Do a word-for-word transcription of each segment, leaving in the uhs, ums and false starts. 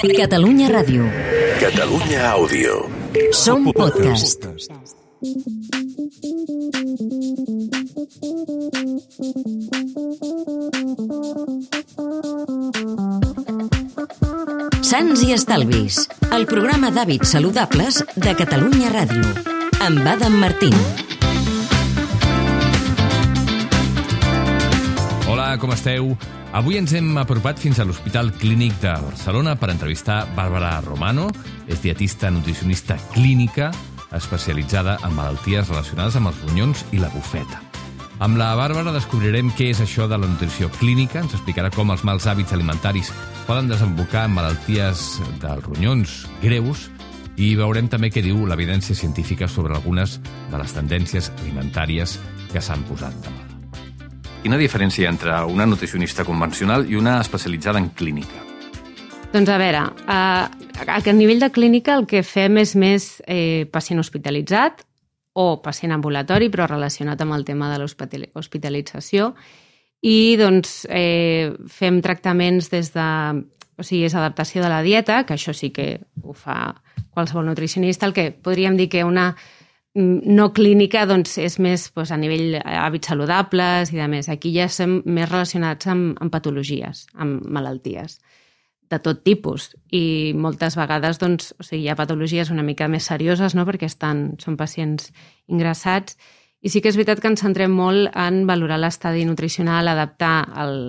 Catalunya Ràdio. Catalunya Àudio. Som podcast. Sants i Estalvis, el programa d'hàbits saludables de Catalunya Ràdio, amb Adam Martín. Hola, com esteu? Avui ens hem apropat fins a l'Hospital Clínic de Barcelona per entrevistar Bàrbara Romano. És dietista nutricionista clínica especialitzada en malalties relacionades amb els ronyons i la bufeta. Amb la Bàrbara descobrirem què és això de la nutrició clínica, ens explicarà com els mals hàbits alimentaris poden desembocar en malalties dels ronyons greus i veurem també què diu l'evidència científica sobre algunes de les tendències alimentàries que s'han posat de moda. Quina diferència entre una nutricionista convencional i una especialitzada en clínica? Doncs a veure, a, a nivell de clínica el que fem és més eh, pacient hospitalitzat o pacient ambulatori, però relacionat amb el tema de l'hospitalització. I doncs eh, fem tractaments des de... O sigui, és adaptació de la dieta, que això sí que ho fa qualsevol nutricionista. El que podríem dir que una no clínica doncs, és més doncs, a nivell hàbits saludables i de més. Aquí ja estem més relacionats amb, amb patologies, amb malalties de tot tipus. I moltes vegades doncs, o sigui, hi ha patologies una mica més serioses, no? Perquè estan, són pacients ingressats. I sí que és veritat que ens centrem molt en valorar l'estadi nutricional, adaptar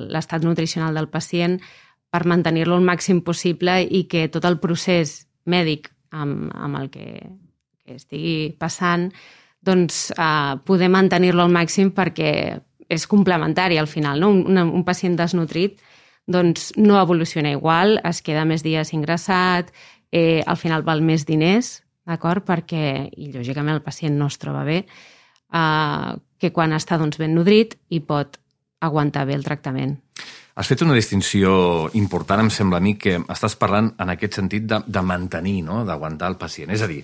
l'estat nutricional del pacient per mantenir-lo el màxim possible i que tot el procés mèdic amb, amb el que, que estigui passant doncs, eh, poder mantenir-lo al màxim perquè és complementari al final. No? Un, un pacient desnutrit doncs, no evoluciona igual, es queda més dies ingressat, eh, al final val més diners, d'acord? Perquè, i lògicament el pacient no es troba bé, eh, que quan està doncs, ben nodrit i pot aguantar bé el tractament. Has fet una distinció important, em sembla a mi, que estàs parlant en aquest sentit de, de mantenir, no? D'aguantar el pacient. És a dir,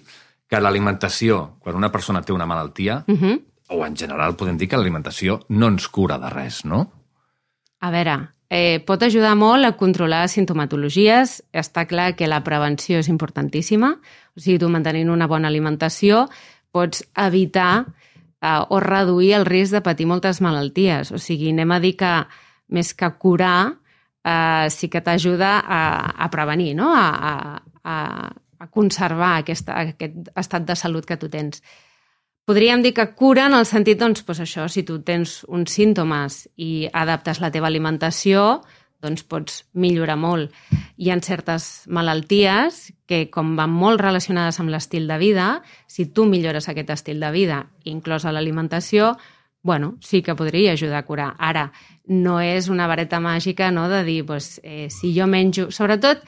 que l'alimentació, quan una persona té una malaltia, uh-huh. o en general podem dir que l'alimentació no ens cura de res, no? A veure, eh, pot ajudar molt a controlar sintomatologies. Està clar que la prevenció és importantíssima. O sigui, tu mantenint una bona alimentació pots evitar eh, o reduir el risc de patir moltes malalties. O sigui, anem a dir que més que curar, eh, sí que t'ajuda a, a prevenir, no? a, a, a conservar aquesta, aquest estat de salut que tu tens. Podríem dir que cura en el sentit, doncs, doncs això, si tu tens uns símptomes i adaptes la teva alimentació, doncs pots millorar molt. Hi ha certes malalties que, com van molt relacionades amb l'estil de vida, si tu millores aquest estil de vida, inclosa l'alimentació, bueno, sí que podria ajudar a curar. Ara, no és una vareta màgica, no?, de dir, doncs, eh, si jo menjo... Sobretot,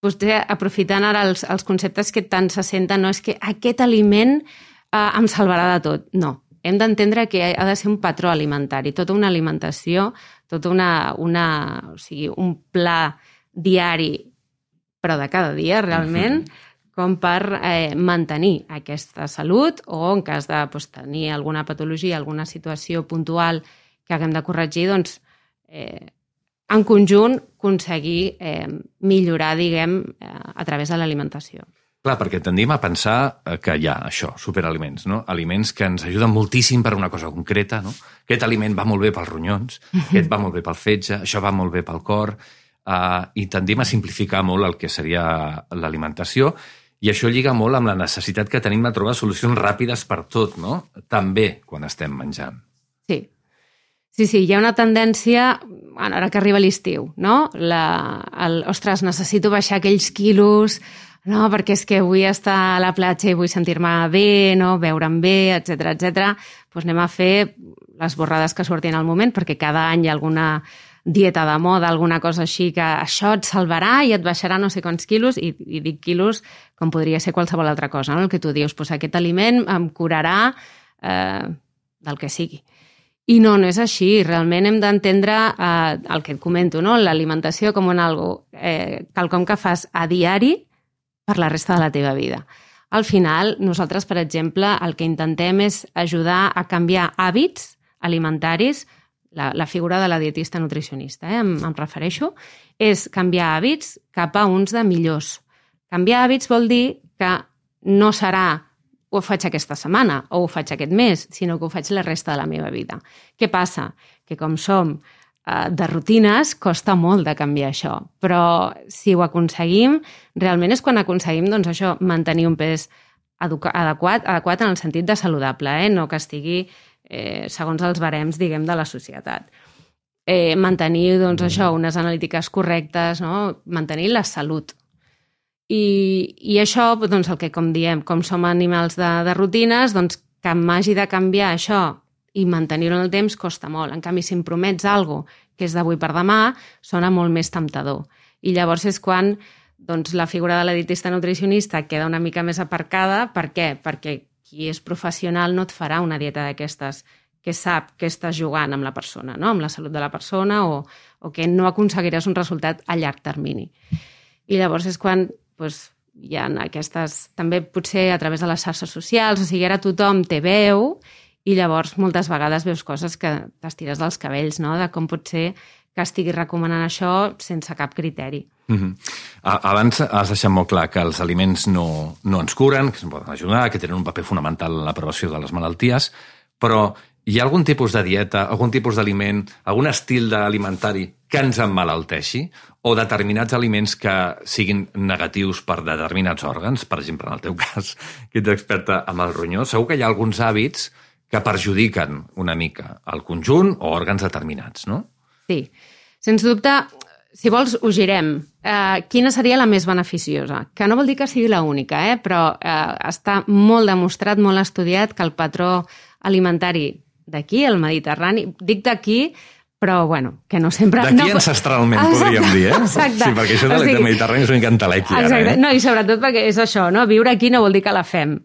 potser aprofitant ara els, els conceptes que tant se senten, no és que aquest aliment eh, em salvarà de tot. No, hem d'entendre que ha de ser un patró alimentari, tota una alimentació, tot una, una, o sigui, un pla diari, però de cada dia, realment, uh-huh. com per eh, mantenir aquesta salut o en cas de doncs, tenir alguna patologia, alguna situació puntual que haguem de corregir, doncs, eh, en conjunt, aconseguir eh, millorar, diguem, eh, a través de l'alimentació. Clar, perquè tendim a pensar que hi ha això, superaliments, no? Aliments que ens ajuden moltíssim per una cosa concreta, no? Aquest aliment va molt bé pels ronyons, aquest va molt bé pel fetge, això va molt bé pel cor, eh, i tendim a simplificar molt el que seria l'alimentació. I això lliga molt amb la necessitat que tenim de trobar solucions ràpides per tot, no? També quan estem menjant. Sí. Sí, sí, hi ha una tendència, bueno, ara que arriba l'estiu, no? La, el, ostres, necessito baixar aquells quilos, no? Perquè és que vull estar a la platja i vull sentir-me bé, no? Veure'm bé, etcètera, etcètera. Doncs anem a fer les borrades que surtin al moment, perquè cada any hi ha alguna dieta de moda, alguna cosa així, que això et salvarà i et baixarà no sé quants quilos, i, i dic quilos com podria ser qualsevol altra cosa, no? El que tu dius, doncs aquest aliment em curarà eh, del que sigui. I no, no és així. Realment hem d'entendre eh, el que et comento, no? L'alimentació com un algo, eh, quelcom que fas a diari per la resta de la teva vida. Al final, nosaltres, per exemple, el que intentem és ajudar a canviar hàbits alimentaris la, la figura de la dietista nutricionista, eh, em, em refereixo, és canviar hàbits cap a uns de millors. Canviar hàbits vol dir que no serà ho faig aquesta setmana o ho faig aquest mes, sinó que ho faig la resta de la meva vida. Què passa? Que com som eh, de rutines, costa molt de canviar això, però si ho aconseguim, realment és quan aconseguim doncs, això, mantenir un pes adequat, adequat en el sentit de saludable, eh? No que estigui eh, segons els barems, diguem, de la societat. Eh, mantenir, doncs, això, unes analítiques correctes, no? Mantenir la salut. I, i això, doncs, el que, com diem, com som animals de, de rutines, doncs, que m'hagi de canviar això i mantenir-ho en el temps costa molt. En canvi, si em promets alguna cosa que és d'avui per demà, sona molt més temptador. I llavors és quan doncs, la figura de la dietista nutricionista queda una mica més aparcada. Per què? Perquè qui és professional no et farà una dieta d'aquestes que sap que estàs jugant amb la persona, no? Amb la salut de la persona, o, o que no aconseguiràs un resultat a llarg termini. I llavors és quan doncs, hi ha aquestes, també potser a través de les xarxes socials, o sigui, ara tothom té veu i llavors moltes vegades veus coses que t'estires dels cabells, no? De com pot ser que estigui recomanant això sense cap criteri. Mm-hmm. Abans has deixat molt clar que els aliments no, no ens curen, que ens poden ajudar, que tenen un paper fonamental en la prevenció de les malalties, però hi ha algun tipus de dieta, algun tipus d'aliment, algun estil alimentari que ens emmalalteixi, o determinats aliments que siguin negatius per determinats òrgans, per exemple, en el teu cas, que ets experta amb el ronyó, segur que hi ha alguns hàbits que perjudiquen una mica el conjunt o òrgans determinats, no? Sí, sens dubte, si vols, ho girem. Eh, quina seria la més beneficiosa? Que no vol dir que sigui l'única, eh? Però eh, està molt demostrat, molt estudiat, que el patró alimentari d'aquí, el Mediterrani, dic d'aquí, però, bueno, que no sempre... D'aquí no... ancestralment, exacte, podríem dir, eh? Exacte. Sí, perquè això de o sigui, Mediterrani és una cantalèquia, exacte. Ara, eh? No, i sobretot perquè és això, no? Viure aquí no vol dir que la fem,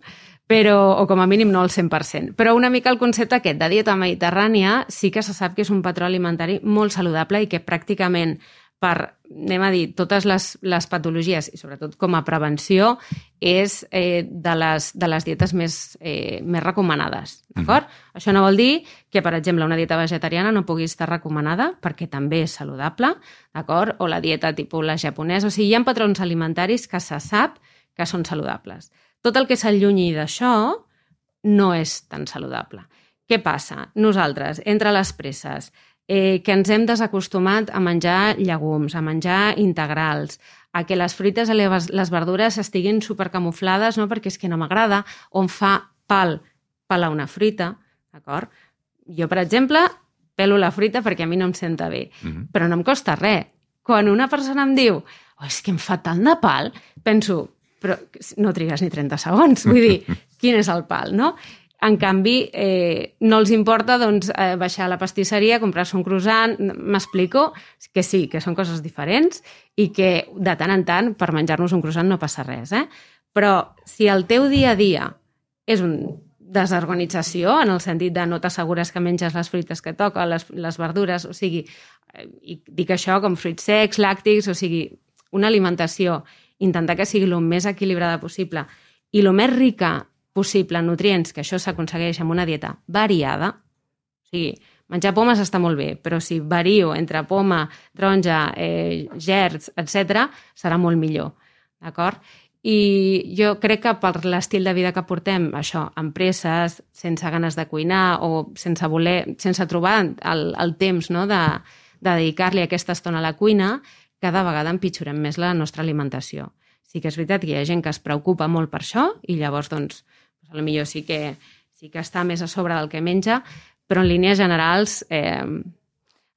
però, o com a mínim no al cent per cent. Però una mica el concepte aquest de dieta mediterrània sí que se sap que és un patró alimentari molt saludable i que pràcticament per, anem a dir, totes les, les patologies i sobretot com a prevenció és eh, de, les, de les dietes més, eh, més recomanades, d'acord? Mm. Això no vol dir que, per exemple, una dieta vegetariana no pugui estar recomanada perquè també és saludable, d'acord? O la dieta tipus la japonesa, o sigui, hi ha patrons alimentaris que se sap que són saludables. Tot el que s'allunyi d'això no és tan saludable. Què passa? Nosaltres, entre les presses, eh, que ens hem desacostumat a menjar llegums, a menjar integrals, a que les fruites i les, les verdures estiguin supercamuflades, no? Perquè és que no m'agrada, o em fa pal pelar una fruita, d'acord? Jo, per exemple, pelo la fruita perquè a mi no em senta bé, mm-hmm. però no em costa res. Quan una persona em diu oh, és que em fa tant de pal, penso, però no trigues ni trenta segons, vull dir, quin és el pal, no? En canvi, eh, no els importa doncs, eh, baixar a la pastisseria, comprar-se un croissant, m'explico que sí, que són coses diferents i que de tant en tant per menjar-nos un croissant no passa res, eh? Però si el teu dia a dia és una desorganització, en el sentit de no t'assegures que menges les fruites que toca, les, les verdures, o sigui, eh, i dic això com fruits secs, làctics, o sigui, una alimentació, intentar que sigui el més equilibrada possible i el més rica possible en nutrients, que això s'aconsegueix amb una dieta variada. O sigui, menjar pomes està molt bé, però si vario entre poma, taronja, eh, gerds, etcètera, serà molt millor, d'acord? I jo crec que per l'estil de vida que portem, això, amb presses, sense ganes de cuinar o sense voler, sense trobar el, el temps, no?, de, de dedicar-li aquesta estona a la cuina, cada vegada empitjorem més la nostra alimentació. Sí que és veritat que hi ha gent que es preocupa molt per això i llavors, doncs, potser sí que, sí que està més a sobre del que menja, però en línies generals eh,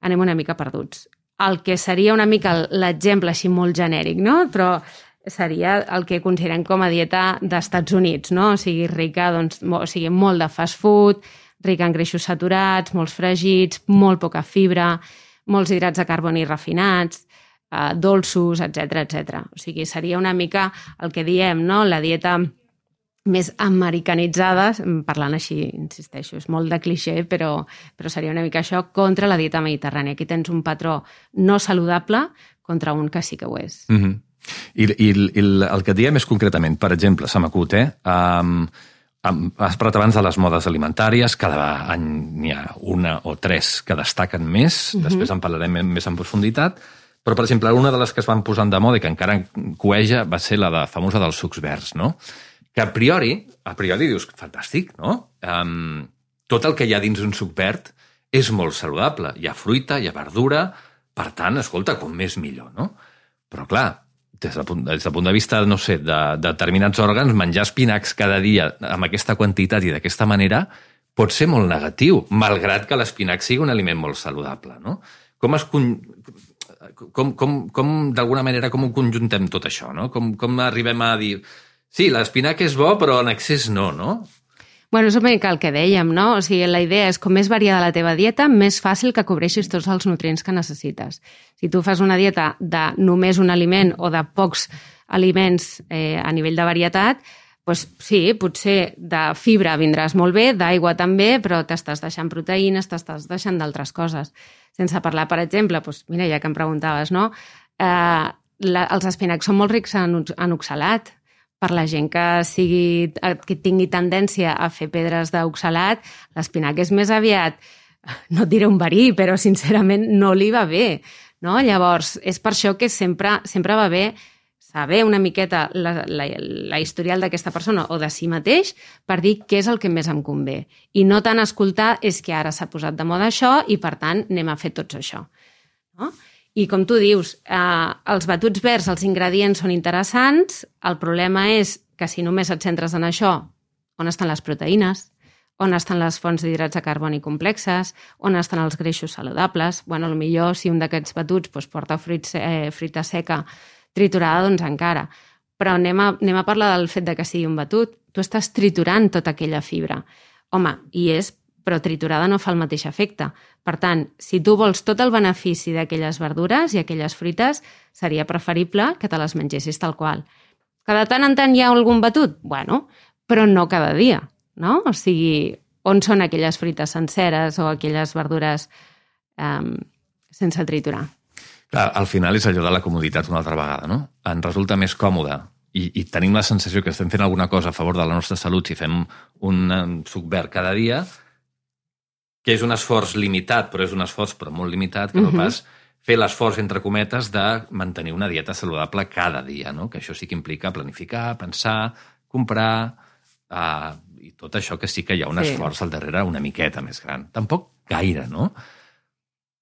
anem una mica perduts. El que seria una mica l'exemple així molt genèric, no?, però seria el que considerem com a dieta d'Estats Units, no? O sigui, rica, doncs, o sigui, molt de fast food, rica en greixos saturats, molts fregits, molt poca fibra, molts hidrats de carboni refinats, eh, dolços, etcètera, etcètera. O sigui, seria una mica el que diem, no?, la dieta més americanitzada, parlant així, insisteixo, és molt de clixé, però, però seria una mica això contra la dieta mediterrània. Aquí tens un patró no saludable contra un que sí que ho és. Mm-hmm. I, i, i el que et diem és concretament, per exemple, se m'acut, eh? Um, Has parlat abans de les modes alimentàries, cada any n'hi ha una o tres que destaquen més, mm-hmm. després en parlarem més en profunditat, però, per exemple, una de les que es van posant de moda i que encara cueja va ser la de famosa dels sucs verds, no? Que a priori, a priori dius, fantàstic, no? Um, tot el que hi ha dins un suc verd és molt saludable. Hi ha fruita, hi ha verdura, per tant, escolta, com més millor, no? Però, clar, des del punt, des del punt de vista, no sé, de, de determinats òrgans, menjar espinacs cada dia amb aquesta quantitat i d'aquesta manera pot ser molt negatiu, malgrat que l'espinac sigui un aliment molt saludable, no? Com es... Com, com, com d'alguna manera, com ho conjuntem tot això, no? Com, com arribem a dir... Sí, l'espinac és bo, però en excés no, no? Bueno, és una mica el que dèiem, no? O sigui, la idea és com més variada la teva dieta, més fàcil que cobreixis tots els nutrients que necessites. Si tu fas una dieta de només un aliment o de pocs aliments eh, a nivell de varietat, doncs sí, potser de fibra vindràs molt bé, d'aigua també, però t'estàs deixant proteïnes, t'estàs deixant d'altres coses. Sense parlar, per exemple, doncs, mira, ja que em preguntaves, no? Eh, la, els espinacs són molt rics en, en oxalat. Per la gent que, sigui, que tingui tendència a fer pedres d'oxalat, l'espinac és més aviat, no et diré un verí, però sincerament no li va bé. No? Llavors, és per això que sempre, sempre va bé saber una miqueta la, la, la historial d'aquesta persona o de si mateix per dir què és el que més em convé. I no tant escoltar és que ara s'ha posat de moda això i, per tant, anem a fer tots això. No? I com tu dius, eh, els batuts verds, els ingredients són interessants, el problema és que si només et centres en això, on estan les proteïnes, on estan les fonts d'hidrats de carboni complexes, on estan els greixos saludables. Bueno, potser si un d'aquests batuts doncs, porta fruits, eh, fruita seca triturada, doncs encara. Però anem a, anem a parlar del fet de que sigui un batut. Tu estàs triturant tota aquella fibra. Home, i és però triturada no fa el mateix efecte. Per tant, si tu vols tot el benefici d'aquelles verdures i aquelles fruites, seria preferible que te les mengessis tal qual. Que de tant en tant hi ha algun batut? Bueno, però no cada dia, no? O sigui, on són aquelles fruites senceres o aquelles verdures um, sense triturar? Clar, al final és allò de la comoditat una altra vegada, no? Ens resulta més còmode i, i tenim la sensació que estem fent alguna cosa a favor de la nostra salut si fem un, un suc verd cada dia, que és un esforç limitat, però és un esforç però molt limitat, que no pas fer l'esforç, entre cometes, de mantenir una dieta saludable cada dia, no? Que això sí que implica planificar, pensar, comprar, uh, i tot això que sí que hi ha un sí. esforç al darrere una miqueta més gran. Tampoc gaire, no?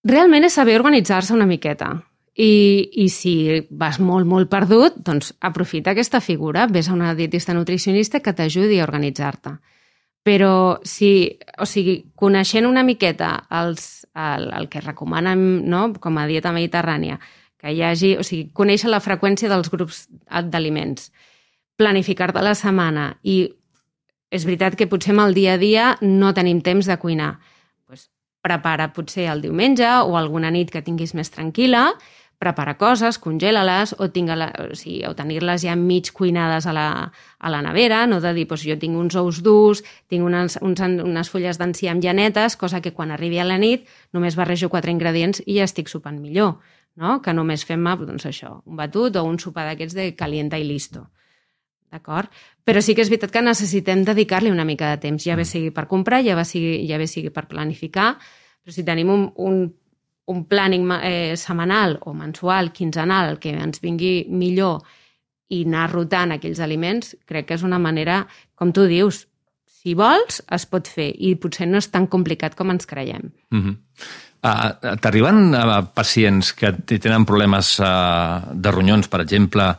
Realment és saber organitzar-se una miqueta. I, i si vas molt, molt perdut, doncs aprofita aquesta figura, vés a una dietista nutricionista que t'ajudi a organitzar-te. Però si, o sigui, coneixent una miqueta els, el, el que recomanen, no? Com a dieta mediterrània, que hi hagi, o sigui, conèixer la freqüència dels grups d'aliments, planificar-te la setmana i és veritat que potser amb el dia a dia no tenim temps de cuinar. Pues prepara potser el diumenge o alguna nit que tinguis més tranquil·la, prepara coses, congela-les o, o, sigui, o tenir-les ja mig cuinades a la, a la nevera, no de dir, doncs jo tinc uns ous durs, tinc unes, uns, unes fulles d'enciam llanetes, cosa que quan arribi a la nit només barrejo quatre ingredients i ja estic sopant millor, no? Que només fem doncs això, un batut o un sopar d'aquests de calienta i listo. D'acord? Però sí que és veritat que necessitem dedicar-li una mica de temps, ja bé sigui per comprar, ja bé sigui, ja bé sigui per planificar, però si tenim un, un un planning eh, setmanal o mensual, quinzenal, que ens vingui millor i anar rotant aquells aliments, crec que és una manera, com tu dius, si vols, es pot fer i potser no és tan complicat com ens creiem. Mm-hmm. Uh, T'arriben uh, pacients que tenen problemes uh, de ronyons, per exemple,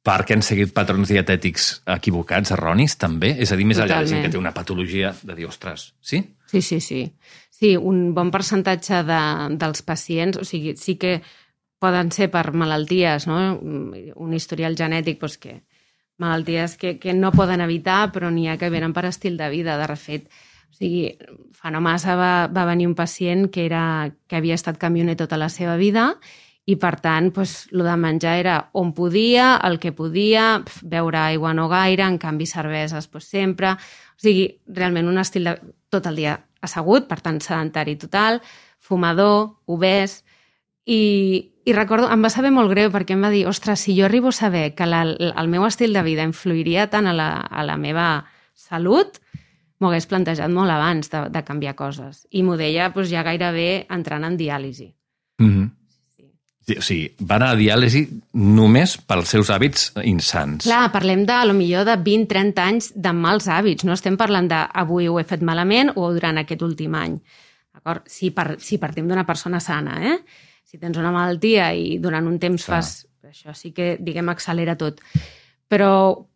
perquè han seguit patrons dietètics equivocats, erronis, també? És a dir, més Totalment. Allà de gent que té una patologia de dir, ostres, sí? Sí, sí, sí. Sí, un bon percentatge de, dels pacients, o sigui, sí que poden ser per malalties, no? Un historial genètic, doncs que malalties que, que no poden evitar, però n'hi ha que venen per estil de vida. De refet, o sigui, fa no massa va, va venir un pacient que, era, que havia estat camioner tota la seva vida i, per tant, doncs, el de menjar era on podia, el que podia, beure aigua no gaire, en canvi cerveses doncs, sempre. O sigui, realment un estil de... tot el dia assegut, per tant, sedentari total, fumador, obès, i, i recordo, em va saber molt greu perquè em va dir, ostres, si jo arribo a saber que la, el meu estil de vida influiria tant a la, a la meva salut, m'ho hagués plantejat molt abans de, de canviar coses. I m'ho deia doncs, ja gairebé entrant en diàlisi. Mm-hmm. Sí. O sigui, va anar a diàlisi només pels seus hàbits insans. Clar, parlem de, a lo millor de vint a trenta anys de mals hàbits. No estem parlant de avui ho he fet malament o durant aquest últim any. D'acord? Si, par, si partim d'una persona sana, eh? Si tens una malaltia i durant un temps Clar. fas... Això sí que, diguem, accelera tot. Però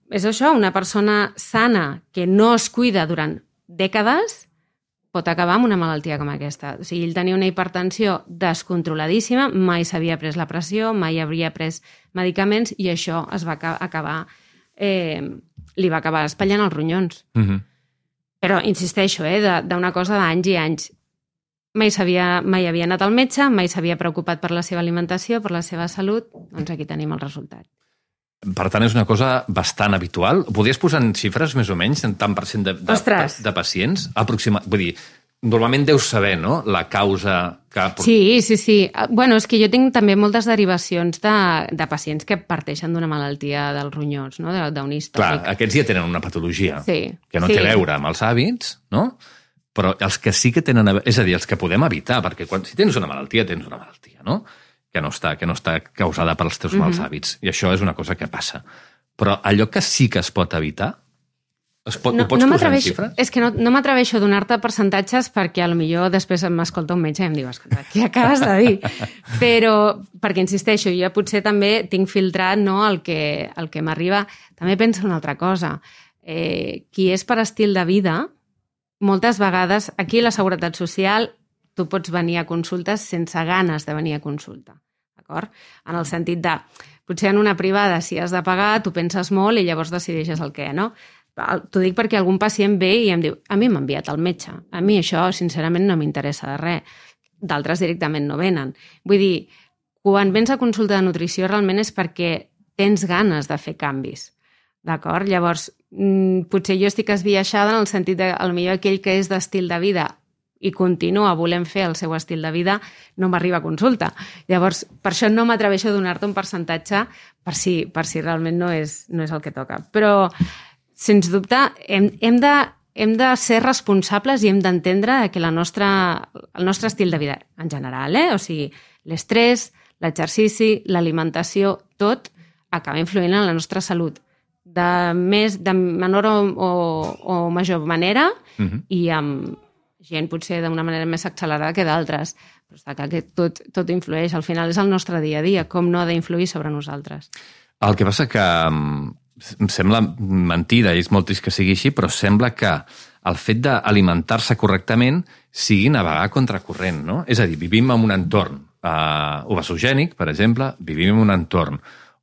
és això, una persona sana que no es cuida durant dècades pot acabar amb una malaltia com aquesta. O sigui, ell tenia una hipertensió descontroladíssima, mai s'havia pres la pressió, mai havia pres medicaments i això es va acabar, eh, li va acabar espatllant els ronyons. Mm-hmm. Però insisteixo, eh, d'una cosa d'anys i anys. Mai, mai havia anat al metge, mai s'havia preocupat per la seva alimentació, per la seva salut, doncs aquí tenim el resultat. Per tant, és una cosa bastant habitual. Podries posar en xifres, més o menys, en tant per cent de, de, de, de pacients? Aproxima... Vull dir, normalment deus saber, no?, la causa que... Sí, sí, sí. Bueno, és que jo tinc també moltes derivacions de, de pacients que parteixen d'una malaltia dels ronyons, no?, d'un històric. Clar, aquests ja tenen una patologia sí, que no sí. té a veure amb els hàbits, no?, però els que sí que tenen... És a dir, els que podem evitar, perquè quan, si tens una malaltia, tens una malaltia, no?, que no està, que no està causada pels teus mals mm-hmm. hàbits. I això és una cosa que passa. Però allò que sí que es pot evitar, es pot, no, ho pots no posar en xifres? És que no, no m'atreveixo a donar-te percentatges perquè a lo millor després m'escolta un metge i em diu, escolta, què acabes de dir? Però, perquè insisteixo, jo potser també tinc filtrat, no, el que, el que m'arriba. També penso una altra cosa. Eh, qui és per estil de vida, moltes vegades, aquí la Seguretat Social, tu pots venir a consultes sense ganes de venir a consulta, d'acord? En el sentit de, potser en una privada, si has de pagar, tu penses molt i llavors decideixes el què, no? T'ho dic perquè algun pacient ve i em diu, a mi m'ha enviat el metge, a mi això, sincerament, no m'interessa de res. D'altres directament no venen. Vull dir, quan vens a consulta de nutrició realment és perquè tens ganes de fer canvis. D'acord? Llavors, potser jo estic esbiaixada en el sentit de, potser aquell que és d'estil de vida i continua volent fer el seu estil de vida, no m'arriba a consulta. Llavors, per això no m'atreveixo a donar-te un percentatge per si, per si realment no és, no és el que toca. Però, sens dubte, hem, hem, de, hem de ser responsables i hem d'entendre que la nostra, el nostre estil de vida, en general, eh? O sigui, l'estrès, l'exercici, l'alimentació, tot acaba influint en la nostra salut de, més, de menor o, o, o major manera uh-huh. i amb gent potser d'una manera més accelerada que d'altres. Però està clar que tot, tot influeix. Al final és el nostre dia a dia, com no ha d'influir sobre nosaltres. El que passa que em sembla mentida, i és molt trist que sigui així, però sembla que el fet d'alimentar-se correctament sigui navegar contracorrent, no? És a dir, vivim en un entorn eh, obesogènic, per exemple, vivim en un entorn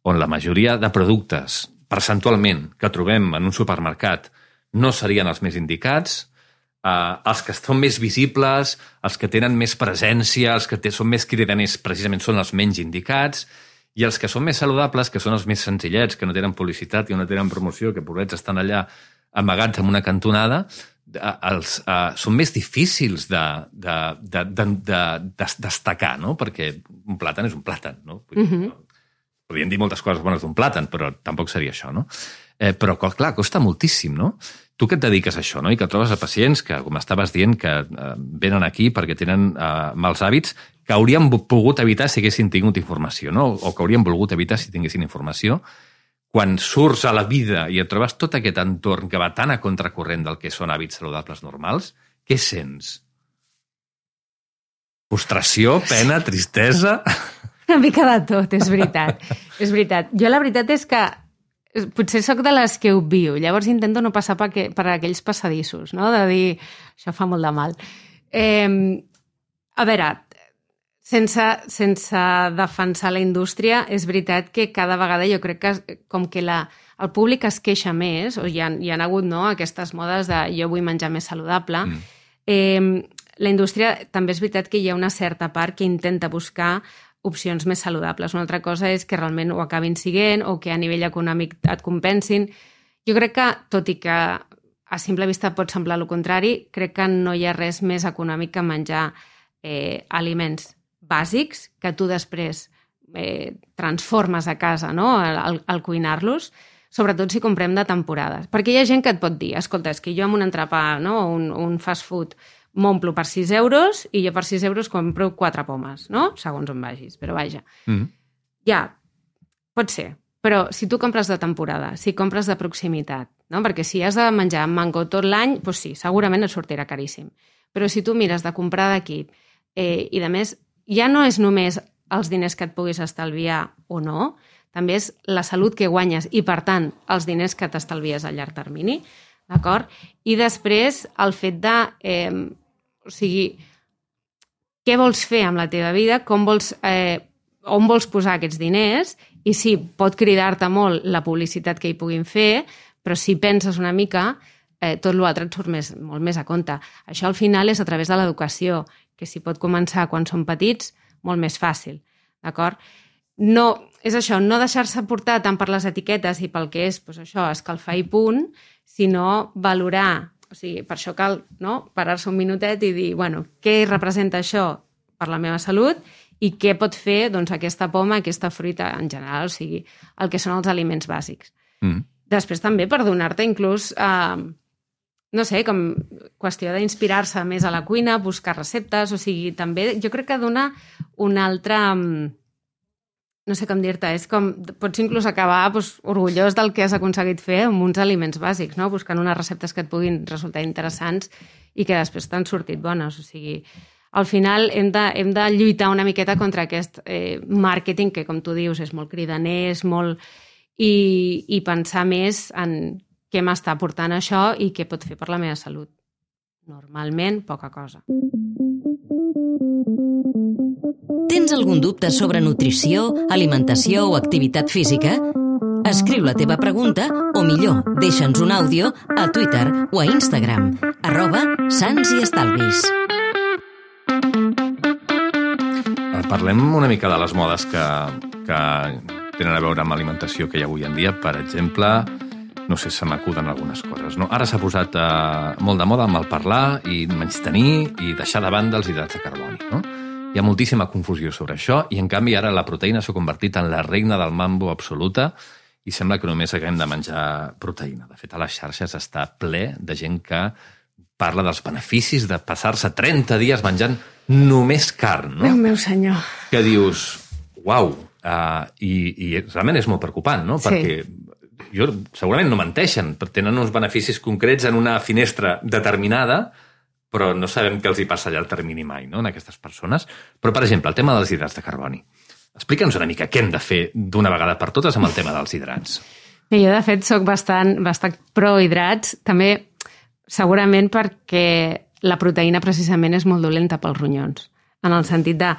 on la majoria de productes, percentualment, que trobem en un supermercat no serien els més indicats, Uh, els que són més visibles, els que tenen més presència, els que són més cridaners precisament són els menys indicats, i els que són més saludables, que són els més senzillets, que no tenen publicitat i no tenen promoció, que pobrets estan allà amagats en una cantonada, uh, els, uh, són més difícils de, de, de, de, de, de destacar, no? Perquè un plàtan és un plàtan, no? Vull dir, uh-huh. no? Podríem dir moltes coses bones d'un plàtan, però tampoc seria això, no? Eh, però, clar, costa moltíssim, no? Tu que et dediques a això, no? I que trobes a pacients que, com estaves dient, que eh, venen aquí perquè tenen eh, mals hàbits que haurien pogut evitar si haguessin tingut informació, no? O que haurien volgut evitar si tinguessin informació. Quan surts a la vida i et trobes tot aquest entorn que va tan a contracorrent del que són hàbits saludables normals, què sents? Frustració, pena, tristesa? Una mica de tot, és veritat. És veritat. Jo la veritat és que potser sóc de les que ho viu, llavors intento no passar per, que, per aquells passadissos, no? De dir, això fa molt de mal. Eh, a veure, sense, sense defensar la indústria, és veritat que cada vegada jo crec que com que la, el públic es queixa més, o hi ha, hi ha hagut no, aquestes modes de jo vull menjar més saludable, mm. eh, la indústria també és veritat que hi ha una certa part que intenta buscar opcions més saludables. Una altra cosa és que realment ho acabin siguent o que a nivell econòmic et compensin. Jo crec que, tot i que a simple vista pot semblar el contrari, crec que no hi ha res més econòmic que menjar eh, aliments bàsics que tu després eh, transformes a casa, no?, al, al cuinar-los. sobretot si comprem de temporades. Perquè hi ha gent que et pot dir, escolta, és que jo amb un entrepà, no? un, un fast food, m'omplo per sis euros i jo per sis euros compro quatre pomes, no? Segons on vagis, però vaja. Mm. Ja, pot ser. Però si tu compres de temporada, si compres de proximitat, no? Perquè si has de menjar mango tot l'any, doncs sí, segurament et sortirà caríssim. Però si tu mires de comprar d'aquí eh, i, a més, ja no és només els diners que et puguis estalviar o no, també és la salut que guanyes i, per tant, els diners que t'estalvies a llarg termini, d'acord? I després, el fet de... Eh, o sigui, què vols fer amb la teva vida, com vols... Eh, on vols posar aquests diners, i sí, pot cridar-te molt la publicitat que hi puguin fer, però si penses una mica, eh, tot l'altre et surt més, molt més a compte. Això al final és a través de l'educació, que si pot començar quan són petits, molt més fàcil, d'acord? No, és això, no deixar-se portar tant per les etiquetes i pel que és, doncs això, escalfar i punt, sinó valorar, o sigui, per això cal, no?, parar-se un minutet i dir, bueno, què representa això per la meva salut i què pot fer, doncs, aquesta poma, aquesta fruita en general, o sigui, el que són els aliments bàsics. Mm. Després també per donar-te inclús, eh, no sé, com qüestió d'inspirar-se més a la cuina, buscar receptes, o sigui, també jo crec que dona una altra... no sé com dir-te, és com... pots inclús acabar doncs, orgullós del que has aconseguit fer amb uns aliments bàsics, no? Buscant unes receptes que et puguin resultar interessants i que després t'han sortit bones, o sigui... Al final hem de, hem de lluitar una miqueta contra aquest eh, màrqueting que, com tu dius, és molt cridaner, és molt... I, i pensar més en què m'està aportant això i què pot fer per la meva salut. Normalment, poca cosa. Tens algun dubte sobre nutrició, alimentació o activitat física? Escriu la teva pregunta o, millor, deixa'ns un àudio a Twitter o a Instagram, arroba Sants i Estalvis. Parlem una mica de les modes que, que tenen a veure amb alimentació que hi ha avui en dia. Per exemple, no sé, se m'acuden algunes coses. No? Ara s'ha posat eh, molt de moda amb el parlar i menystenir i deixar de banda els hidrats de carboni. No? Hi ha moltíssima confusió sobre això i, en canvi, ara la proteïna s'ha convertit en la reina del mambo absoluta i sembla que només haguem de menjar proteïna. De fet, a les xarxes està ple de gent que parla dels beneficis de passar-se trenta dies menjant només carn, no? Déu meu senyor. Que dius, uau, uh, i, i realment és molt preocupant, no? Sí. Perquè jo, segurament no menteixen, tenen uns beneficis concrets en una finestra determinada, però no sabem què els hi passa allà al termini mai, no?, en aquestes persones. Però, per exemple, el tema dels hidrats de carboni. Explica'ns una mica què hem de fer d'una vegada per totes amb el tema dels hidrats. Jo, de fet, soc bastant, bastant pro-hidrats, també segurament perquè la proteïna precisament és molt dolenta pels ronyons, en el sentit de...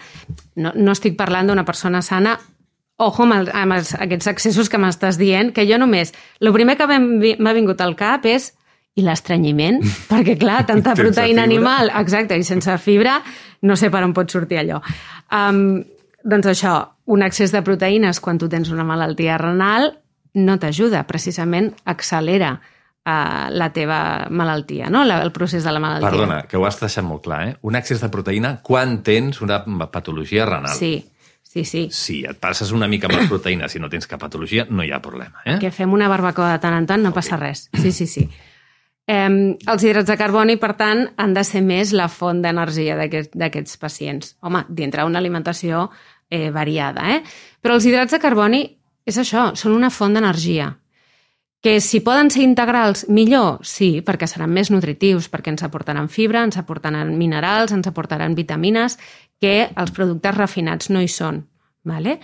No, no estic parlant d'una persona sana, ojo amb, el, amb els, aquests excessos que m'estàs dient, que jo només... El primer que m'ha vingut al cap és... I l'estrenyiment, perquè, clar, tanta proteïna animal, exacte, i sense fibra, no sé per on pot sortir allò. Um, doncs això, un excés de proteïnes quan tu tens una malaltia renal no t'ajuda, precisament accelera Uh, la teva malaltia, no? La, el procés de la malaltia. Perdona, que ho has deixat molt clar, eh? Un excés de proteïna quan tens una patologia renal. Sí, sí, sí. Si et passes una mica amb les proteïnes i no tens cap patologia, no hi ha problema, eh? Que fem una barbacoa de tant en tant, no okay. passa res. Sí, sí, sí. Eh, els hidrats de carboni, per tant, han de ser més la font d'energia d'aquest, d'aquests pacients. Home, dintre una alimentació eh, variada, eh? Però els hidrats de carboni, és això, són una font d'energia. Que si poden ser integrals, millor? Sí, perquè seran més nutritius, perquè ens aportaran fibra, ens aportaran minerals, ens aportaran vitamines, que els productes refinats no hi són. Vale?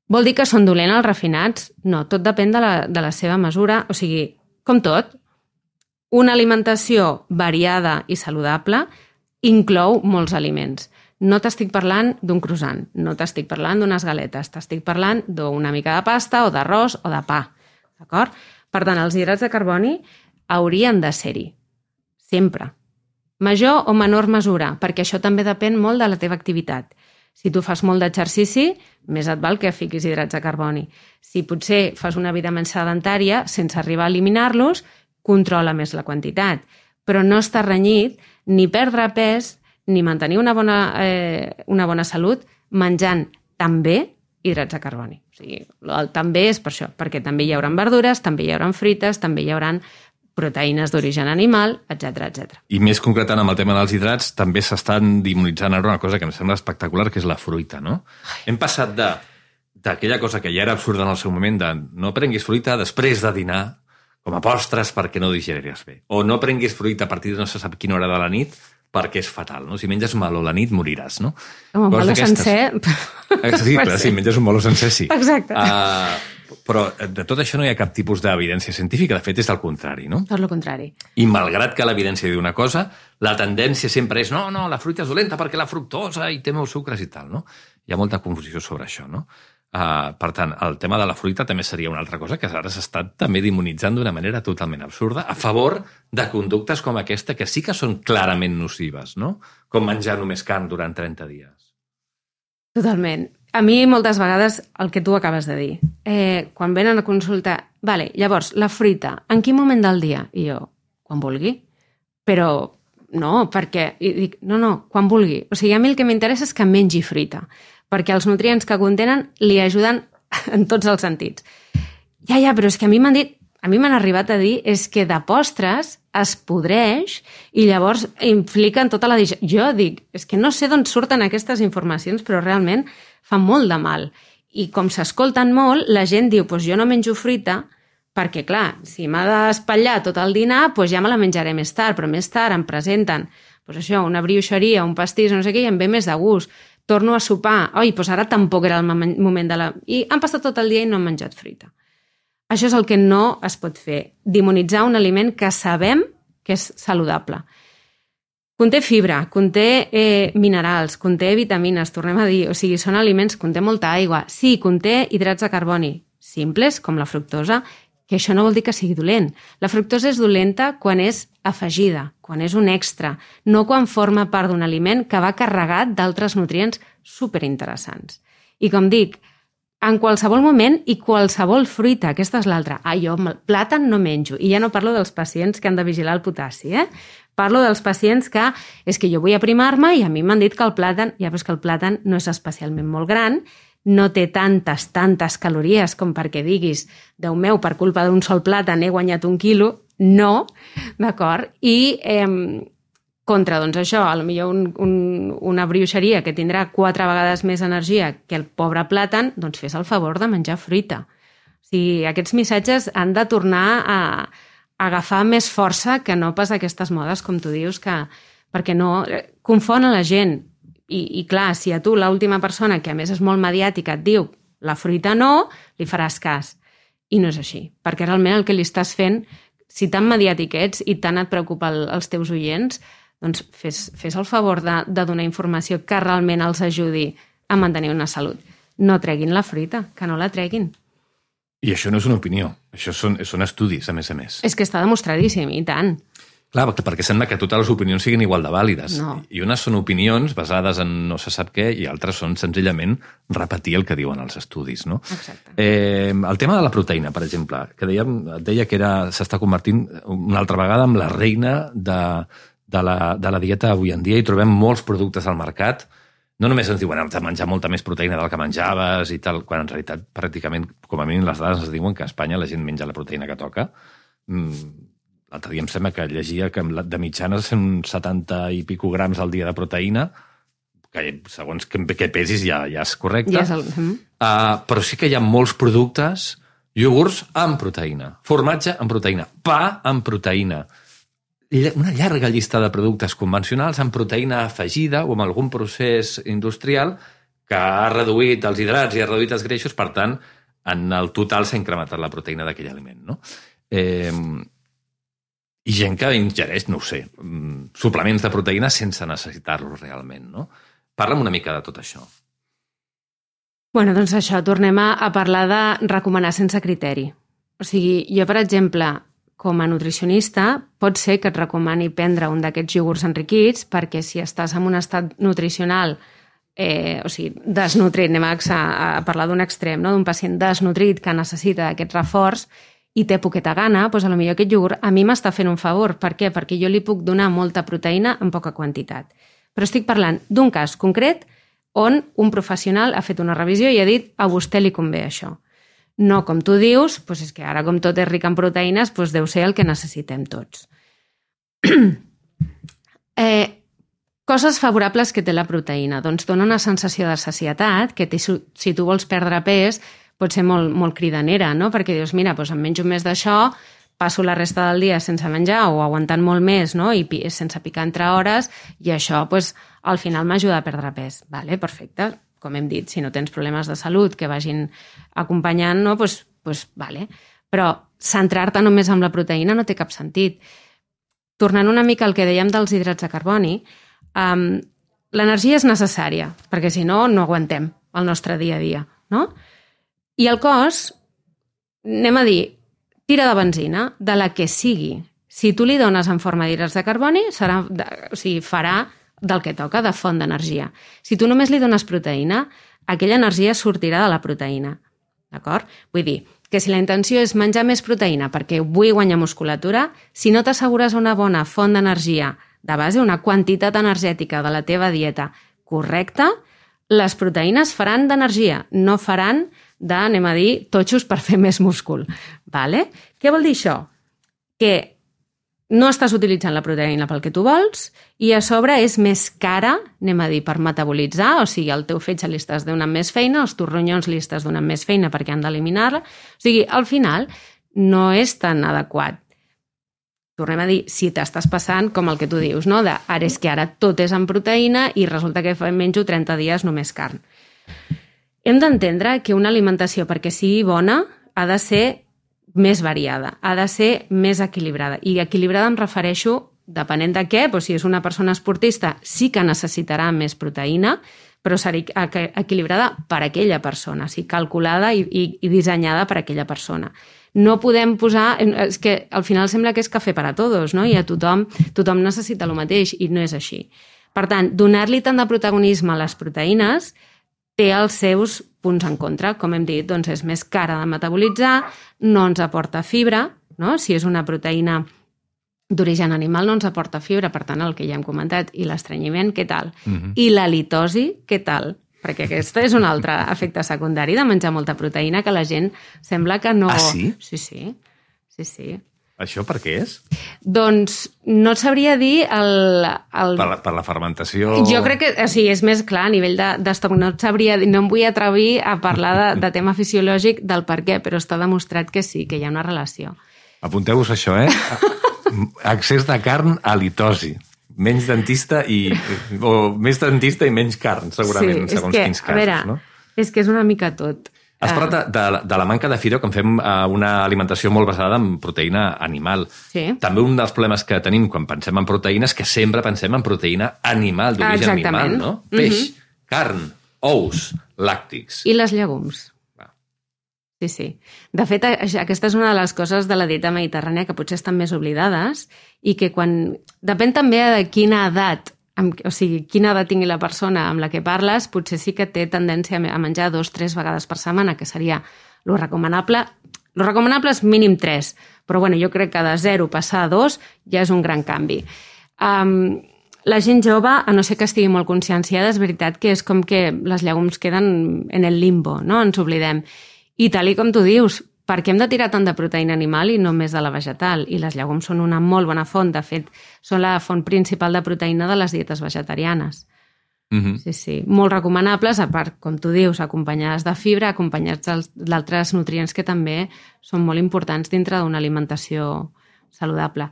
Vol dir que són dolents els refinats? No, tot depèn de la, de la seva mesura. O sigui, com tot, una alimentació variada i saludable inclou molts aliments. No t'estic parlant d'un croissant, no t'estic parlant d'unes galetes, t'estic parlant d'una mica de pasta o d'arròs o de pa. D'acord? Per tant, els hidrats de carboni haurien de ser-hi, sempre. Major o menor mesura, perquè això també depèn molt de la teva activitat. Si tu fas molt d'exercici, més et val que fiquis hidrats de carboni. Si potser fas una vida més sedentària, sense arribar a eliminar-los, controla més la quantitat. Però no està renyit ni perdre pes ni mantenir una bona, eh, una bona salut menjant tan bé hidrats de carboni. O sigui, el també és per això, perquè també hi haurà verdures, també hi haurà fruites, també hi haurà proteïnes d'origen animal, etcètera, etcètera. I més concretant amb el tema dels hidrats, també s'estan dimonitzant ara una cosa que em sembla espectacular, que és la fruita, no? Ai. Hem passat de d'aquella cosa que ja era absurda en el seu moment, de no prenguis fruita després de dinar, com a postres perquè no digeriràs bé. O no prenguis fruita a partir de no se sap quina hora de la nit perquè és fatal, no? Si menges meló a la nit moriràs, no? Un meló sencer... Sí, clar, si menges un meló sencer, sí. Exacte. Uh, però de tot això no hi ha cap tipus d'evidència científica, de fet és el contrari, no? Tot el contrari. I malgrat que l'evidència diu una cosa, la tendència sempre és no, no, la fruita és dolenta perquè la fructosa i té molts sucres i tal, no? Hi ha molta confusió sobre això, no? Uh, per tant, el tema de la fruita també seria una altra cosa que ara s'està també demonitzant d'una manera totalment absurda a favor de conductes com aquesta que sí que són clarament nocives, no? Com menjar només carn durant trenta dies. Totalment. A mi moltes vegades el que tu acabes de dir, eh, quan venen a consultar, vale, llavors, la fruita, en quin moment del dia? I jo, quan vulgui. Però no, perquè... I dic, no, no, quan vulgui. O sigui, a mi el que m'interessa és que mengi fruita, perquè els nutrients que contenen li ajuden en tots els sentits. Ja, ja, però és que a mi m'han dit, a mi m'han arribat a dir, és que de postres es podreix i llavors impliquen tota la digestió. Jo dic, és que no sé d'on surten aquestes informacions, però realment fan molt de mal. I com s'escolten molt, la gent diu, doncs jo no menjo fruita, perquè, clar, si m'ha d'espatllar tot el dinar, doncs ja me la menjaré més tard, però més tard em presenten doncs això, una brioixeria, un pastís, no sé què, i em ve més de gust. Torno a sopar, oi, doncs ara tampoc era el moment de la... I han passat tot el dia i no han menjat fruita. Això és el que no es pot fer, demonitzar un aliment que sabem que és saludable. Conté fibra, conté eh, minerals, conté vitamines, tornem a dir, o sigui, són aliments, conté molta aigua. Sí, conté hidrats de carboni, simples, com la fructosa, que això no vol dir que sigui dolent. La fructosa és dolenta quan és afegida, quan és un extra, no quan forma part d'un aliment que va carregat d'altres nutrients superinteressants. I com dic, en qualsevol moment i qualsevol fruita, aquesta és l'altra. Ah, jo plàtan no menjo. I ja no parlo dels pacients que han de vigilar el potassi, eh? Parlo dels pacients que és que jo vull aprimar-me i a mi m'han dit que el plàtan, ja, però és que el plàtan no és especialment molt gran, no té tantes, tantes calories com perquè diguis, Déu meu, per culpa d'un sol plàtan he guanyat un quilo. No, d'acord? I eh, contra, doncs això, potser un, un, una brioixeria que tindrà quatre vegades més energia que el pobre plàtan, doncs fes el favor de menjar fruita. O sigui, aquests missatges han de tornar a, a agafar més força que no pas aquestes modes, com tu dius, que, perquè no confon a la gent. I, i clar, si a tu l'última persona, que a més és molt mediàtica, et diu la fruita no, li faràs cas. I no és així, perquè realment el que li estàs fent, si tan mediàtic ets i tant et preocupa el, els teus oients, doncs fes, fes el favor de, de donar informació que realment els ajudi a mantenir una salut. No treguin la fruita, que no la treguin. I això no és una opinió, això són, són estudis, a més a més. És que està demostradíssim, i tant. Clar, perquè sembla que totes les opinions siguin igual de vàlides. No. I unes són opinions basades en no se sap què i altres són senzillament repetir el que diuen els estudis, no? Exacte. Eh, el tema de la proteïna, per exemple, que dèiem, deia que era s'està convertint una altra vegada en la reina de, de, la, de la dieta avui en dia i trobem molts productes al mercat. No només ens diuen de menjar molta més proteïna del que menjaves i tal, quan en realitat pràcticament, com a mínim les dades ens diuen que a Espanya la gent menja la proteïna que toca. Mm, L'altre dia em sembla que llegia que de mitjana són setanta i pico grams al dia de proteïna, que segons que, que pesis ja, ja és correcte. Ja és el... uh, però sí que hi ha molts productes, iogurts amb proteïna, formatge amb proteïna, pa amb proteïna, una llarga llista de productes convencionals amb proteïna afegida o amb algun procés industrial que ha reduït els hidrats i ha reduït els greixos, per tant, en el total s'ha incrementat la proteïna d'aquell aliment, no? Eh... I gent que ingereix, no ho sé, suplements de proteïna sense necessitar-los realment, no? Parla'm una mica de tot això. Bueno, doncs això, tornem a, a parlar de recomanar sense criteri. O sigui, jo, per exemple, com a nutricionista, pot ser que et recomani prendre un d'aquests iogurts enriquits perquè si estàs en un estat nutricional, eh, o sigui, desnutrit, anem a, a parlar d'un extrem, no? D'un pacient desnutrit que necessita aquest reforç, i té poqueta gana, doncs potser aquest iogurt a mi m'està fent un favor. Per què? Perquè jo li puc donar molta proteïna en poca quantitat. Però estic parlant d'un cas concret on un professional ha fet una revisió i ha dit a vostè li convé això. No, com tu dius, doncs és que ara com tot és ric en proteïnes, doncs deu ser el que necessitem tots. eh, coses favorables que té la proteïna. Doncs dona una sensació de sacietat, que té, si tu vols perdre pes pot ser molt, molt cridanera, no? Perquè dius, mira, doncs em menjo més d'això, passo la resta del dia sense menjar o aguantant molt més, no? I sense picar entre hores, i això doncs, al final m'ajuda a perdre pes. Vale, perfecte. Com hem dit, si no tens problemes de salut que vagin acompanyant, no? Pues, pues, vale. Però centrar-te només en la proteïna no té cap sentit. Tornant una mica al que dèiem dels hidrats de carboni, um, l'energia és necessària, perquè si no, no aguantem el nostre dia a dia, no? I el cos, anem a dir, tira de benzina, de la que sigui. Si tu li dones en forma d'hidrats de carboni, serà, o sigui, farà del que toca, de font d'energia. Si tu només li dones proteïna, aquella energia sortirà de la proteïna. D'acord? Vull dir que si la intenció és menjar més proteïna perquè vull guanyar musculatura, si no t'assegures una bona font d'energia de base, una quantitat energètica de la teva dieta correcta, les proteïnes faran d'energia, no faran de, anem a dir, totxos per fer més múscul. Vale? Què vol dir això? Que no estàs utilitzant la proteïna pel que tu vols i a sobre és més cara, anem a dir, per metabolitzar, o sigui, el teu fetge li estàs donant més feina, els teus ronyons li estàs donant més feina perquè han d'eliminar-la. O sigui, al final no és tan adequat. Tornem a dir, si t'estàs passant com el que tu dius, no? De, ara és que ara tot és en proteïna i resulta que menjo trenta dies només carn. Hem d'entendre que una alimentació, perquè sigui bona, ha de ser més variada, ha de ser més equilibrada. I equilibrada em refereixo, depenent de què, doncs si és una persona esportista sí que necessitarà més proteïna, però serà equilibrada per a aquella persona, o sigui, calculada i, i, i dissenyada per a aquella persona. No podem posar... És que al final sembla que és cafè per a tots, no? I a tothom, tothom necessita el mateix i no és així. Per tant, donar-li tant de protagonisme a les proteïnes té els seus punts en contra. Com hem dit, doncs és més cara de metabolitzar, no ens aporta fibra, no? Si és una proteïna d'origen animal no ens aporta fibra, per tant, el que ja hem comentat, i l'estrenyiment, què tal? Uh-huh. I la litosi, què tal? Perquè aquest és un altre efecte secundari de menjar molta proteïna que la gent sembla que no... Ah, sí? Sí, sí. sí, sí. Això per què és? Doncs no et sabria dir el... el... Per, la, per la fermentació... Jo crec que o sigui, és més clar a nivell d'estoc. De, no et sabria dir, no em vull atrevir a parlar de, de tema fisiològic del per què, però està demostrat que sí, que hi ha una relació. Apunteu-vos això, eh? Excés de carn a litosi. Menys dentista i... o més dentista i menys carn, segurament, sí, segons que, quins casos, a veure, no? És que és una mica tot. Has parlat de, de, de la manca de fibra quan fem una alimentació molt basada en proteïna animal. Sí. També un dels problemes que tenim quan pensem en proteïnes és que sempre pensem en proteïna animal, d'origen animal, no? Peix, mm-hmm. carn, ous, làctics. I les llegums. Ah. Sí, sí. De fet, aquesta és una de les coses de la dieta mediterrània que potser estan més oblidades i que quan... Depèn també de quina edat, o sigui, quina edat tingui la persona amb la que parles, potser sí que té tendència a menjar dos, tres vegades per setmana, que seria lo recomanable. Lo recomanable és mínim tres, però bueno, jo crec que de zero passar a dos ja és un gran canvi. Um, la gent jove, a no ser que estigui molt conscienciada, és veritat que és com que les llegums queden en el limbo, no? Ens oblidem. I tal i com tu dius, per què hem de tirar tant de proteïna animal i no més de la vegetal? I les llegums són una molt bona font. De fet, són la font principal de proteïna de les dietes vegetarianes. Mm-hmm. Sí, sí. Molt recomanables, a part, com tu dius, acompanyades de fibra, acompanyats d'altres nutrients que també són molt importants dintre d'una alimentació saludable.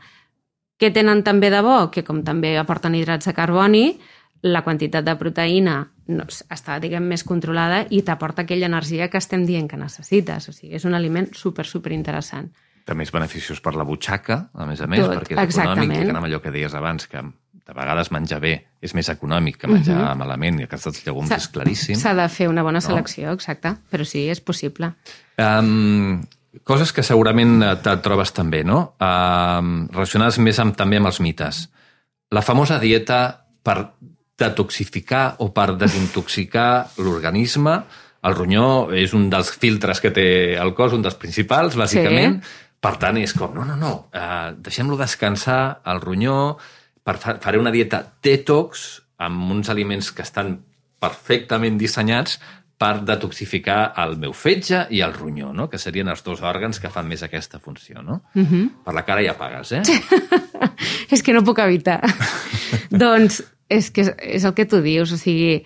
Què tenen també de bo? Que com també aporten hidrats de carboni, la quantitat de proteïna no, està, diguem, més controlada i t'aporta aquella energia que estem dient que necessites. O sigui, és un aliment super, super interessant. També és beneficiós per la butxaca, a més a més, Tot, perquè és exactament. econòmic, i que amb allò que deies abans, que de vegades menjar bé és més econòmic que menjar uh-huh. malament, i aquests llegums és claríssim. S'ha de fer una bona selecció, no? Exacte, però sí, és possible. Um, coses que segurament te trobes també, no? Um, relacionades més amb, també amb els mites. La famosa dieta per detoxificar o per desintoxicar l'organisme. El ronyó és un dels filtres que té el cos, un dels principals, bàsicament. Sí. Per tant, és com, no, no, no, uh, deixem-lo descansar, el ronyó, per fa, faré una dieta detox amb uns aliments que estan perfectament dissenyats per detoxificar el meu fetge i el ronyó, no? Que serien els dos òrgans que fan més aquesta funció, no? Uh-huh. Per la cara ja pagues, eh? És que no puc evitar. Doncs és que és el que tu dius, o sigui,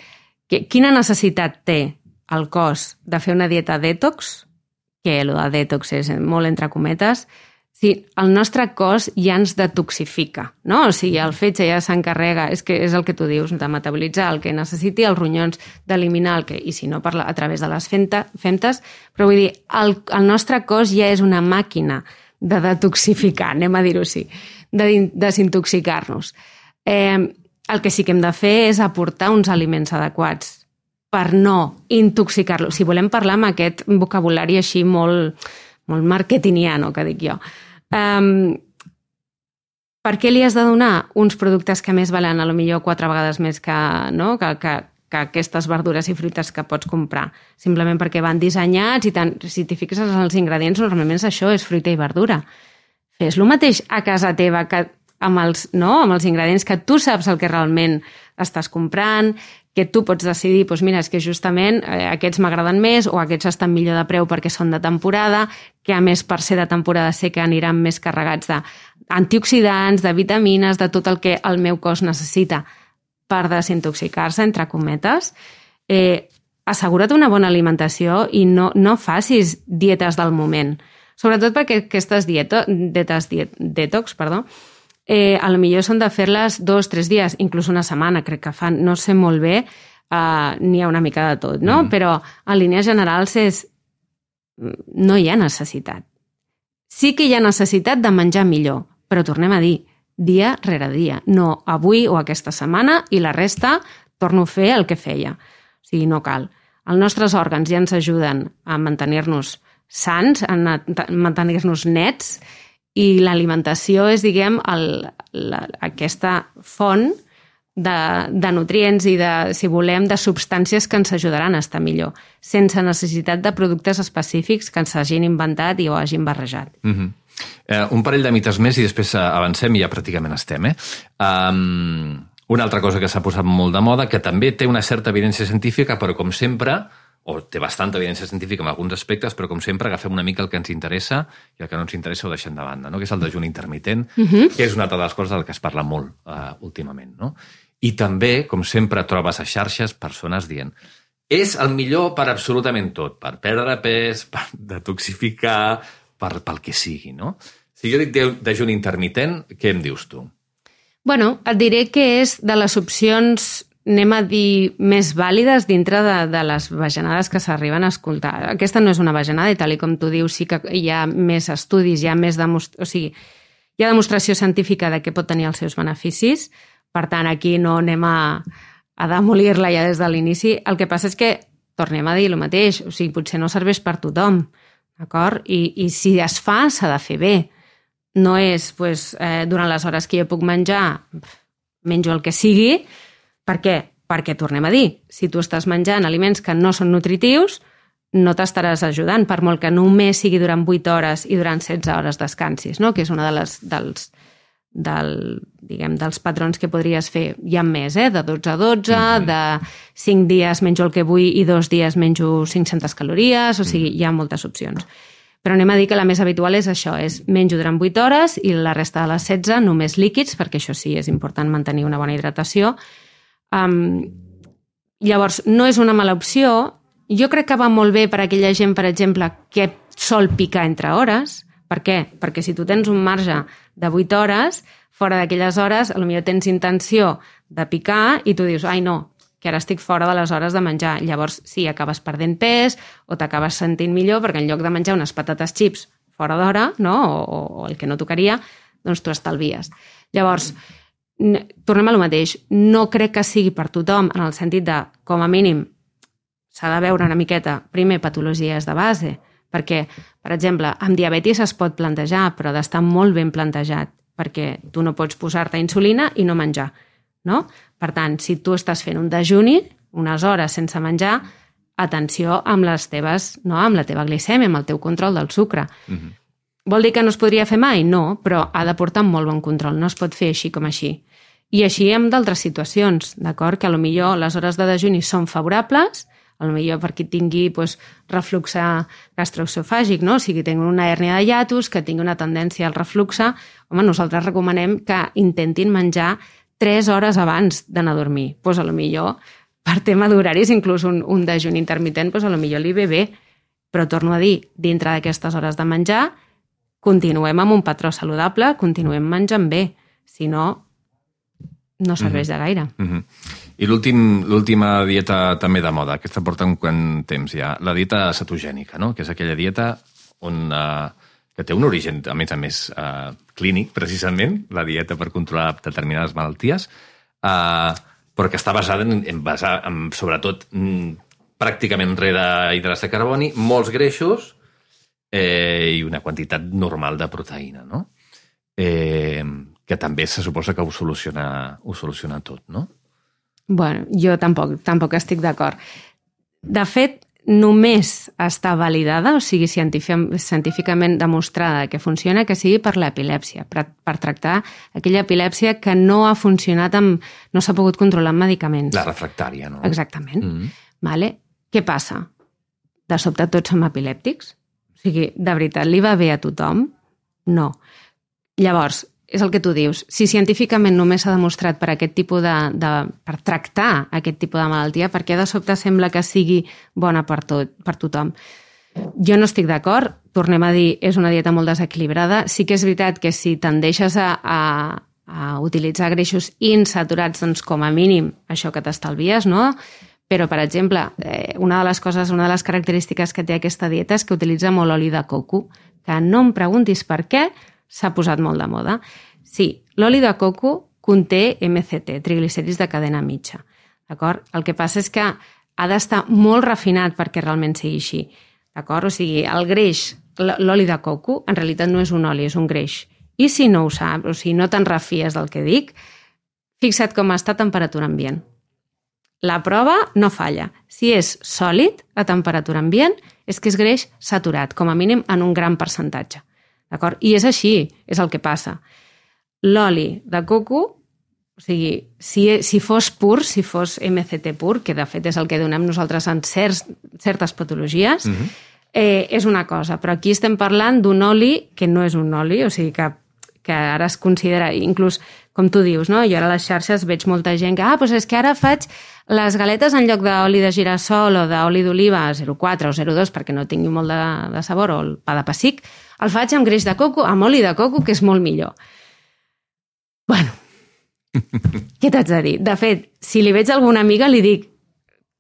que, quina necessitat té el cos de fer una dieta detox, que el de detox és molt entre cometes, si el nostre cos ja ens detoxifica, no? O sigui, el fetge ja s'encarrega, és que és el que tu dius, de metabolitzar el que necessiti, els ronyons d'eliminar el que, i si no, per la, a través de les femta, femtes, però vull dir, el, el nostre cos ja és una màquina de detoxificar, anem a dir-ho així, de desintoxicar-nos. Eh, el que sí que hem de fer és aportar uns aliments adequats per no intoxicar-lo. Si volem parlar amb aquest vocabulari així molt, molt marketingiano, que dic jo. Um, per què li has de donar uns productes que més valen a lo millor quatre vegades més que, no? que, que, que aquestes verdures i fruites que pots comprar? Simplement perquè van dissenyats i tant, si t'hi fixes en els ingredients, normalment és això, és fruita i verdura. Fes el mateix a casa teva que amb els, no? amb els ingredients que tu saps el que realment estàs comprant, que tu pots decidir, doncs mira, és que justament eh, aquests m'agraden més o aquests estan millor de preu perquè són de temporada, que a més per ser de temporada sé que aniran més carregats d'antioxidants, de vitamines, de tot el que el meu cos necessita per desintoxicar-se, entre cometes. Eh, assegura't una bona alimentació i no, no facis dietes del moment. Sobretot perquè aquestes dieto, dietes diet, detox, perdó, Eh, a lo millor són de fer-les dos, tres dies, inclús una setmana, crec que fan, no sé molt bé, uh, n'hi ha una mica de tot, no? Mm. Però en línies generals és... no hi ha necessitat. Sí que hi ha necessitat de menjar millor, però tornem a dir, dia rere dia, no avui o aquesta setmana i la resta torno a fer el que feia. O sigui, no cal. Els nostres òrgans ja ens ajuden a mantenir-nos sants, a mantenir-nos nets, i l'alimentació és, diguem, el, la, aquesta font de, de nutrients i, de, si volem, de substàncies que ens ajudaran a estar millor, sense necessitat de productes específics que ens hagin inventat i o hagin barrejat. Mm-hmm. eh, un parell de mites més i després avancem i ja pràcticament estem. Eh? Um, una altra cosa que s'ha posat molt de moda, que també té una certa evidència científica, però com sempre... o té bastanta evidència científica en alguns aspectes, però com sempre agafem una mica el que ens interessa i el que no ens interessa ho deixem de banda, no? Que és el dejuni intermitent, uh-huh. que és una altra de les coses del que es parla molt uh, últimament. No? I també, com sempre, trobes a xarxes persones dient és el millor per absolutament tot, per perdre pes, per detoxificar, per, pel que sigui. No? Si jo dic dejuni intermitent, què em dius tu? Bueno, et diré que és de les opcions... anem a dir, més vàlides dintre de, de les bajanades que s'arriben a escoltar. Aquesta no és una bajanada i tal i com tu dius sí que hi ha més estudis, hi ha més demostra... o sigui, hi ha demostració científica de què pot tenir els seus beneficis, per tant aquí no anem a, a demolir-la ja des de l'inici. El que passa és que tornem a dir el mateix, o sigui, potser no serveix per tothom, d'acord? I, i si es fa, s'ha de fer bé. No és, doncs, eh, durant les hores que jo puc menjar, menjo el que sigui. Per què? Perquè, tornem a dir, si tu estàs menjant aliments que no són nutritius, no t'estaràs ajudant, per molt que només sigui durant vuit hores i durant setze hores descansis, no? Que és una de les, dels, del, diguem, dels patrons que podries fer. Hi ha més, eh? De dotze a dotze, mm-hmm. de cinc dies menjo el que vull i dos dies menjo cinc-centes calories, o sigui, hi ha moltes opcions. Però anem a dir que la més habitual és això, és menjo durant vuit hores i la resta de les setze només líquids, perquè això sí, és important mantenir una bona hidratació. Um, llavors, no és una mala opció. Jo crec que va molt bé per a aquella gent, per exemple, que sol picar entre hores. Per què? Perquè si tu tens un marge de vuit hores, fora d'aquelles hores, potser tens intenció de picar i tu dius, ai no, que ara estic fora de les hores de menjar. Llavors, sí, acabes perdent pes o t'acabes sentint millor perquè en lloc de menjar unes patates xips fora d'hora, no? o, o el que no tocaria, doncs tu estalvies. Llavors, tornem a lo mateix, no crec que sigui per tothom en el sentit de, com a mínim, s'ha de veure una miqueta, primer, patologies de base, perquè, per exemple, amb diabetis es pot plantejar, però ha d'estar molt ben plantejat, perquè tu no pots posar-te insulina i no menjar, no? Per tant, si tu estàs fent un dejuni, unes hores sense menjar, atenció amb les teves, no, amb la teva glicèmia, amb el teu control del sucre. Mm-hmm. Vol dir que no es podria fer mai? No, però ha de portar molt bon control, no es pot fer així com així. I així amb d'altres situacions, d'acord? Que potser les hores de dejuni són favorables, potser per qui tingui doncs, reflux gastroesofàgic, no? O sigui, tingui una hèrnia de hiatus, que tingui una tendència al refluxe, home, nosaltres recomanem que intentin menjar tres hores abans d'anar a dormir. Doncs potser, per tema d'horaris, inclús un, un dejuni intermitent, doncs potser li ve bé. Però torno a dir, dintre d'aquestes hores de menjar, continuem amb un patró saludable, continuem menjant bé. Si no, no serveix de gaire. Mm-hmm. I l'última dieta també de moda, aquesta porta un quant temps ja, la dieta cetogènica, no? Que és aquella dieta on, uh, que té un origen, a més a més, uh, clínic, precisament, la dieta per controlar determinades malalties, uh, però que està basada en, en, basar, en sobretot, mm, pràcticament res d'hidrats de carboni, molts greixos eh, i una quantitat normal de proteïna, no? Eh, que també se suposa que ho soluciona, ho soluciona tot, no? Bueno, jo tampoc, tampoc estic d'acord. De fet, només està validada, o sigui, científicament demostrada que funciona, que sigui per l'epilèpsia, per, per tractar aquella epilèpsia que no ha funcionat, amb, no s'ha pogut controlar amb medicaments. La refractària, no? Exactament. Mm-hmm. Vale? Què passa? De sobte tots som epilèptics? O sigui, de veritat, li va bé a tothom? No. Llavors, és el que tu dius, si científicament només s'ha demostrat per aquest tipus de, de... per tractar aquest tipus de malaltia, per què de sobte sembla que sigui bona per, tot, per tothom? Jo no estic d'acord, tornem a dir, és una dieta molt desequilibrada. Sí que és veritat que si tendeixes a, a, a utilitzar greixos insaturats, doncs com a mínim això que t'estalvies, no? Però, per exemple, eh, una de les coses, una de les característiques que té aquesta dieta és que utilitza molt oli de coco, que no em preguntis per què, s'ha posat molt de moda. Sí, l'oli de coco conté eme ce te, triglicèrids de cadena mitja. D'acord? El que passa és que ha d'estar molt refinat perquè realment sigui així. D'acord? O sigui, el greix, l'oli de coco, en realitat no és un oli, és un greix. I si no ho saps, o sigui, no te'n refies del que dic, fixa't com està a temperatura ambient. La prova no falla. Si és sòlid a temperatura ambient, és que és greix saturat, com a mínim en un gran percentatge. D'acord? I és així, és el que passa. L'oli de coco, o sigui, si, si fos pur, si fos eme ce te pur, que de fet és el que donem nosaltres en certs, certes patologies, mm-hmm. eh, és una cosa. Però aquí estem parlant d'un oli que no és un oli, o sigui que, que ara es considera, inclús, com tu dius, no? Jo ara a les xarxes veig molta gent que, ah, doncs és que ara faig les galetes en lloc d'oli de girassol o d'oli d'oliva zero coma quatre o zero coma dos perquè no tingui molt de, de sabor, o el pa de pessic, el faig amb greix de coco, amb oli de coco, que és molt millor. Bueno, què t'haig de dir? De fet, si li veig a alguna amiga, li dic,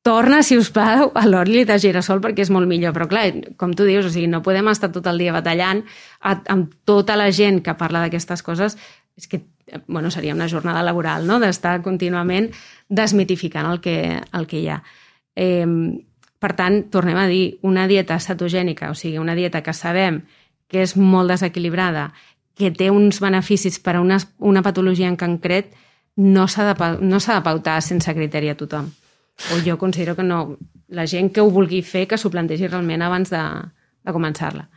torna, si us plau, a l'oli de girassol perquè és molt millor. Però clar, com tu dius, o sigui, no podem estar tot el dia batallant amb tota la gent que parla d'aquestes coses. És que, bueno, seria una jornada laboral, no?, d'estar contínuament desmitificant el que, el que hi ha. Eh, per tant, tornem a dir, una dieta cetogènica, o sigui, una dieta que sabem que és molt desequilibrada, que té uns beneficis per a una, una patologia en concret, no s'ha de, no s'ha de pautar sense criteri a tothom. O jo considero que no. La gent que ho vulgui fer, que s'ho plantegi realment abans de, de començar-la.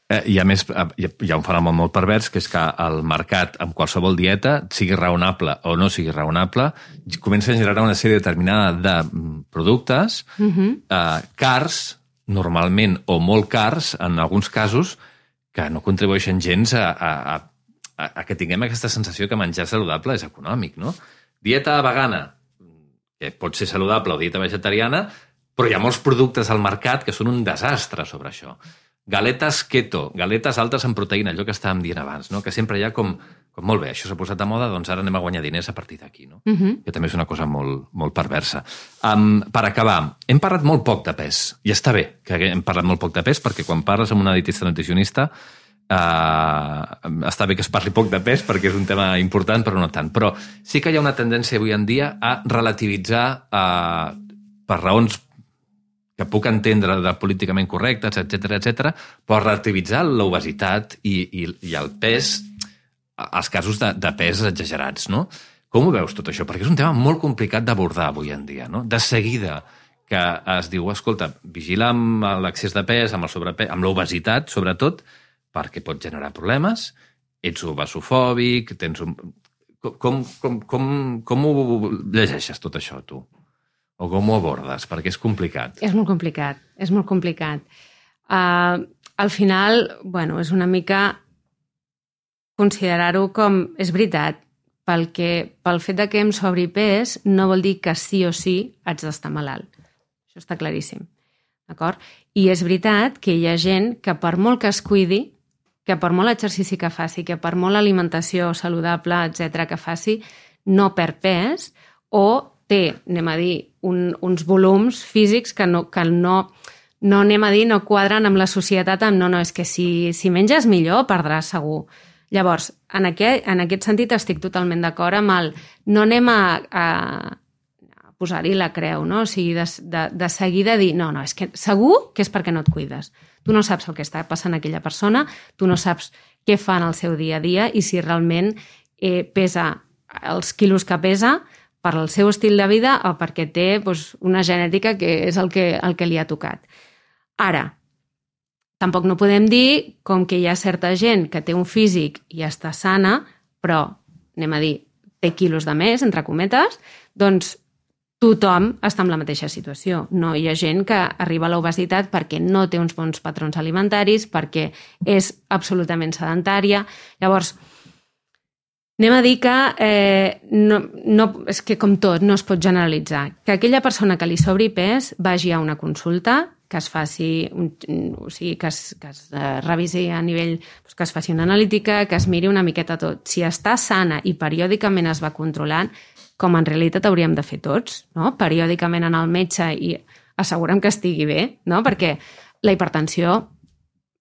Eh, I a més, hi ha un fenomen molt pervers, que és que el mercat, amb qualsevol dieta, sigui raonable o no sigui raonable, comença a generar una sèrie determinada de productes uh-huh. eh, cars, normalment, o molt cars, en alguns casos, que no contribueixen gens a, a, a, a que tinguem aquesta sensació que menjar saludable és econòmic, no? Dieta vegana, que pot ser saludable, o dieta vegetariana, però hi ha molts productes al mercat que són un desastre sobre això. Galetes keto, galetes altes en proteïna, allò que estàvem dient abans, no? Que sempre hi ha com, com molt bé, això s'ha posat de moda, doncs ara anem a guanyar diners a partir d'aquí, no? Uh-huh. Que també és una cosa molt, molt perversa. Um, per acabar, hem parlat molt poc de pes, i està bé que hem parlat molt poc de pes, perquè quan parles amb una dietista nutricionista uh, està bé que es parli poc de pes, perquè és un tema important, però no tant. Però sí que hi ha una tendència avui en dia a relativitzar uh, per raons que puc entendre de políticament correctes, etcètera, etcètera, però relativitzar l'obesitat i, i, i el pes, els casos de, de pes exagerats, no? Com ho veus tot això? Perquè és un tema molt complicat d'abordar avui en dia, no? De seguida que es diu, escolta, vigila amb l'excés de pes, amb el sobrepès, amb l'obesitat, sobretot, perquè pot generar problemes, ets obesofòbic, tens un... Com, com, com, com ho llegeixes tot això, tu? O com ho abordes? Perquè és complicat. És molt complicat, és molt complicat. Uh, al final, bueno, és una mica considerar-ho com... És veritat, pel, que, pel fet de que em sobri pes no vol dir que sí o sí haig d'estar malalt. Això està claríssim. D'acord? I és veritat que hi ha gent que per molt que es cuidi, que per molt exercici que faci, que per molt alimentació saludable, etcètera que faci, no perd pes o té, anem a dir, un, uns volums físics que no, que no, no anem a dir, no quadren amb la societat, amb no, no, és que si, si menges millor perdràs segur. Llavors, en aquest, en aquest sentit estic totalment d'acord amb el... No anem a, a posar-hi la creu, no? O sigui, de, de, de seguida dir, no, no, és que segur que és perquè no et cuides. Tu no saps el que està passant a aquella persona, tu no saps què fa en el seu dia a dia i si realment eh, pesa els quilos que pesa per al seu estil de vida o perquè té doncs, una genètica que és el que, el que li ha tocat. Ara, tampoc no podem dir com que hi ha certa gent que té un físic i està sana, però, anem a dir, té quilos de més, entre cometes, doncs tothom està en la mateixa situació. No hi ha gent que arriba a l'obesitat perquè no té uns bons patrons alimentaris, perquè és absolutament sedentària. Llavors, anem a dir que eh, no, no, és que com tot no es pot generalitzar. Que aquella persona que li sobri pes vagi a una consulta, que es faci, un, o sigui, que es, que es eh, revisi a nivell, doncs, que es faci una analítica, que es miri una miqueta tot. Si està sana i periòdicament es va controlant, com en realitat hauríem de fer tots, no? Periòdicament anar al metge i assegurem que estigui bé, no? Perquè la hipertensió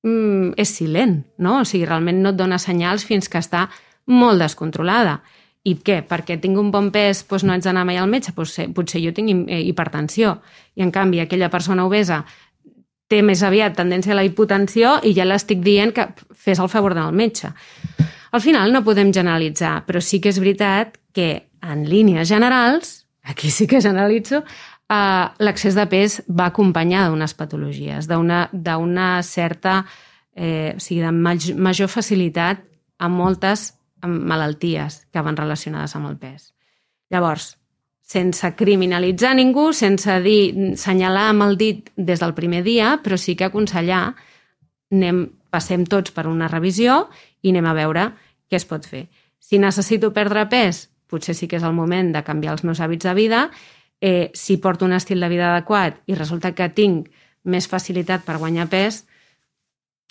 mm, és silent, no? O sigui, realment no et dona senyals fins que està molt descontrolada. I què? Perquè tinc un bon pes, doncs no haig d'anar mai al metge? Potser, potser jo tinc hipertensió. I en canvi aquella persona obesa té més aviat tendència a la hipotensió i ja l'estic dient que fes el favor d'anar al metge. Al final no podem generalitzar, però sí que és veritat que en línies generals, aquí sí que generalitzo, eh, l'excés de pes va acompanyar d'unes patologies, d'una certa, eh, o sigui, de major facilitat a moltes malalties que van relacionades amb el pes. Llavors, sense criminalitzar ningú, sense dir, senyalar amb el dit des del primer dia, però sí que aconsellar, anem, passem tots per una revisió i anem a veure què es pot fer. Si necessito perdre pes, potser sí que és el moment de canviar els meus hàbits de vida. Eh, si porto un estil de vida adequat i resulta que tinc més facilitat per guanyar pes,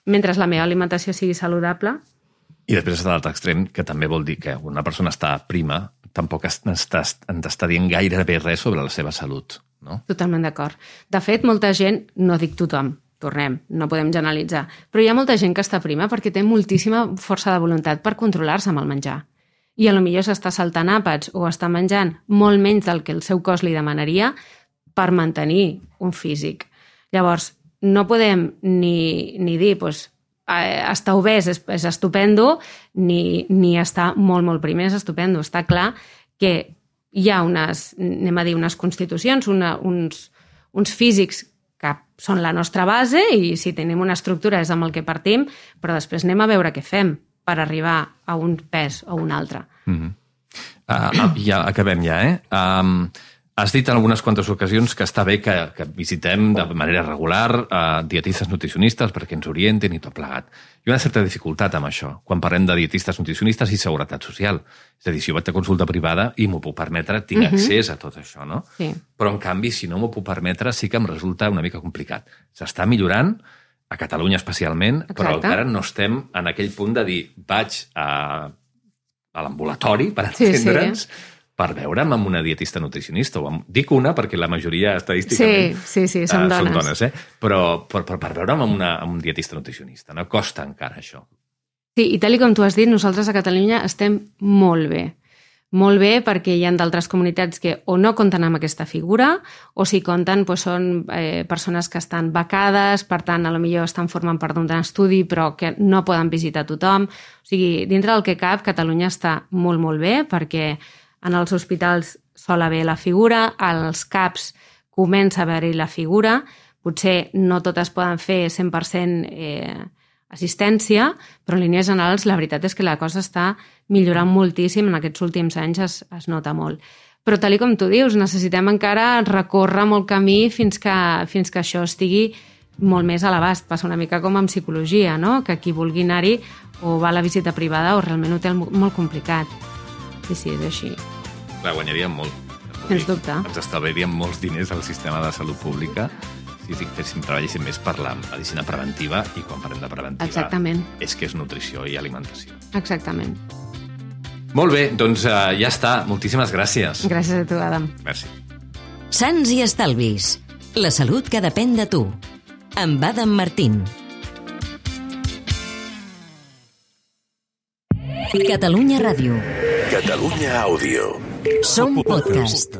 mentre la meva alimentació sigui saludable. I després està l'altre extrem, que també vol dir que una persona està prima, tampoc ens està dient gairebé res sobre la seva salut, no? Totalment d'acord. De fet, molta gent, no dic tothom, tornem, no podem generalitzar, però hi ha molta gent que està prima perquè té moltíssima força de voluntat per controlar-se amb el menjar. I a lo millor s'està saltant àpats o està menjant molt menys del que el seu cos li demanaria per mantenir un físic. Llavors, no podem ni, ni dir, doncs, estar obès és, és estupendo, ni, ni estar molt, molt primer és estupendo. Està clar que hi ha unes, anem a dir, unes constitucions, una, uns, uns físics que són la nostra base i si tenim una estructura és amb el que partim, però després anem a veure què fem per arribar a un pes o un altre. Mm-hmm. uh, ja acabem ja, eh? Um, has dit en algunes quantes ocasions que està bé que, que visitem de manera regular uh, dietistes nutricionistes perquè ens orienten i tot plegat. Hi ha una certa dificultat amb això, quan parlem de dietistes nutricionistes i seguretat social. És a dir, si jo vaig a consulta privada i m'ho puc permetre, tinc mm-hmm. accés a tot això, no? Sí. Però, en canvi, si no m'ho puc permetre, sí que em resulta una mica complicat. S'està millorant, a Catalunya especialment, exacte, però encara no estem en aquell punt de dir vaig a, a l'ambulatori, per entendre'ns, sí, sí, per veure'm amb una dietista nutricionista. O amb, dic una perquè la majoria estadísticament sí, sí, sí, són dones, són dones eh? però per, per, per veure'm amb, una, amb un dietista nutricionista. No costa encara això. Sí, i tal com tu has dit, nosaltres a Catalunya estem molt bé. Molt bé perquè hi ha d'altres comunitats que o no compten amb aquesta figura o si compten doncs són eh, persones que estan becades, per tant, a lo millor estan formant part d'un estudi però que no poden visitar tothom. O sigui, dintre del que cap, Catalunya està molt, molt bé perquè en els hospitals sol haver la figura, als CAPs comença a haver-hi la figura, potser no totes poden fer cent per cent eh, assistència, però en línies generals la veritat és que la cosa està millorant moltíssim, en aquests últims anys es, es nota molt. Però tal com tu dius, necessitem encara recórrer molt camí fins que, fins que això estigui molt més a l'abast. Passa una mica com en psicologia, no? Que qui vulgui anar-hi o va a la visita privada o realment ho té molt complicat. Sí, sí, és així. Clar, guanyaríem molt. Sens dubte. Ens estalviaríem molts diners al sistema de salut pública si féssim, treballéssim més per la medicina preventiva, i quan parlem de preventiva Exactament. és que és nutrició i alimentació. Exactament. Molt bé, doncs uh, ja està. Moltíssimes gràcies. Gràcies a tu, Adam. Merci. Sants i estalvis. La salut que depèn de tu. Amb Adam Martín. Catalunya Ràdio. Catalunya Àudio. Som podcast.